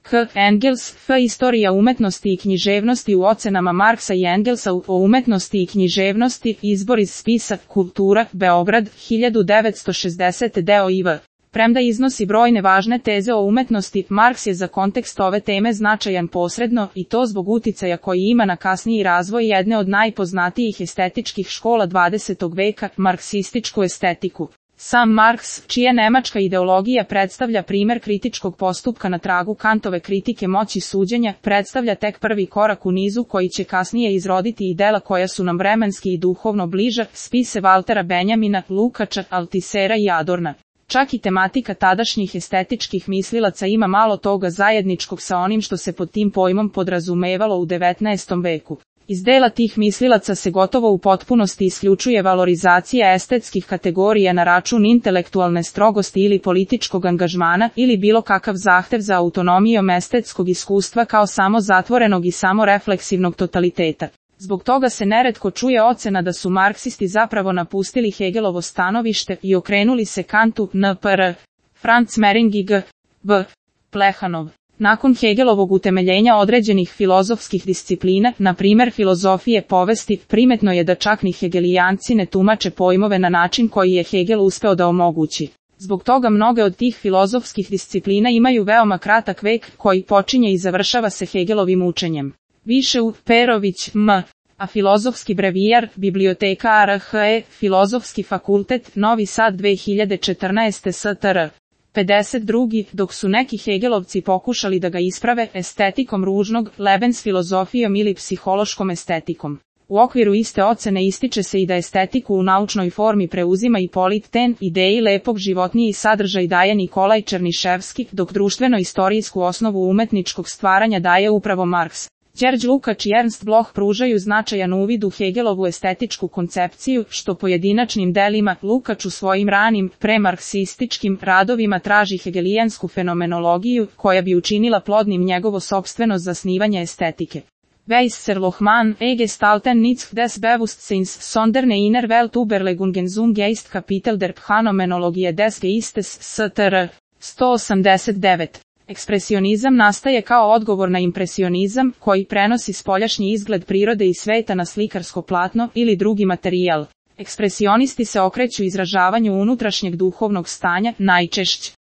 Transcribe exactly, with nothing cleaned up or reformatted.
K. Engels, F. Istorija umetnosti i književnosti u ocenama Marksa i Engelsa o umetnosti i književnosti, izbor iz spisa Kultura, Beograd, hiljadu devetsto šezdesete deo I V. Premda iznosi brojne važne teze o umetnosti, Marks je za kontekst ove teme značajan posredno, i to zbog uticaja koji ima na kasniji razvoj jedne od najpoznatijih estetičkih škola dvadesetog veka, marksističku estetiku. Sam Marks, čija nemačka ideologija predstavlja primer kritičkog postupka na tragu Kantove kritike moći suđenja, predstavlja tek prvi korak u nizu koji će kasnije izroditi i dela koja su nam vremenski i duhovno bliža, spise Valtera Benjamina, Lukača, Altisera i Adorna. Čak i tematika tadašnjih estetičkih mislilaca ima malo toga zajedničkog sa onim što se pod tim pojmom podrazumevalo u devetnaestom veku. Iz dela tih mislilaca se gotovo u potpunosti isključuje valorizacija estetskih kategorija na račun intelektualne strogosti ili političkog angažmana ili bilo kakav zahtev za autonomijom estetskog iskustva kao samo zatvorenog i samo refleksivnog totaliteta. Zbog toga se neretko čuje ocena da su marksisti zapravo napustili Hegelovo stanovište i okrenuli se Kantu, N P R. Franz Mehring i G. B. Plehanov. Nakon Hegelovog utemeljenja određenih filozofskih disciplina, na primer filozofije povesti, primetno je da čak ni hegelijanci ne tumače pojmove na način koji je Hegel uspeo da omogući. Zbog toga mnoge od tih filozofskih disciplina imaju veoma kratak vek koji počinje i završava se Hegelovim učenjem. Više u Perović, M. A filozofski brevijar, biblioteka A R H E, Filozofski fakultet, Novi Sad dve hiljade četrnaeste S T R. pedeset drugi Dok su neki Hegelovci pokušali da ga isprave estetikom ružnog, Lebens filozofijom ili psihološkom estetikom. U okviru iste ocene ističe se i da estetiku u naučnoj formi preuzima i Polit-ten, ideji lepog životniji sadržaj daje Nikolaj Černiševski, dok društveno-istorijsku osnovu umetničkog stvaranja daje upravo Marks. Đerđ Lukač i Ernst Bloch pružaju značajan uvid u Hegelovu estetičku koncepciju, što pojedinačnim delima Lukač u svojim ranim, premarksističkim radovima traži hegelijansku fenomenologiju, koja bi učinila plodnim njegovo sopstveno zasnivanje estetike. Weisserlochmann, E. Gestalten nichts des Bewusstseins, sonderne inner Welt überlegungen zum Geist Kapitel der Phänomenologie des Geistes, S T R. sto osamdeset devet. Ekspresionizam nastaje kao odgovor na impresionizam, koji prenosi spoljašnji izgled prirode i sveta na slikarsko platno ili drugi materijal. Ekspresionisti se okreću izražavanju unutrašnjeg duhovnog stanja, najčešće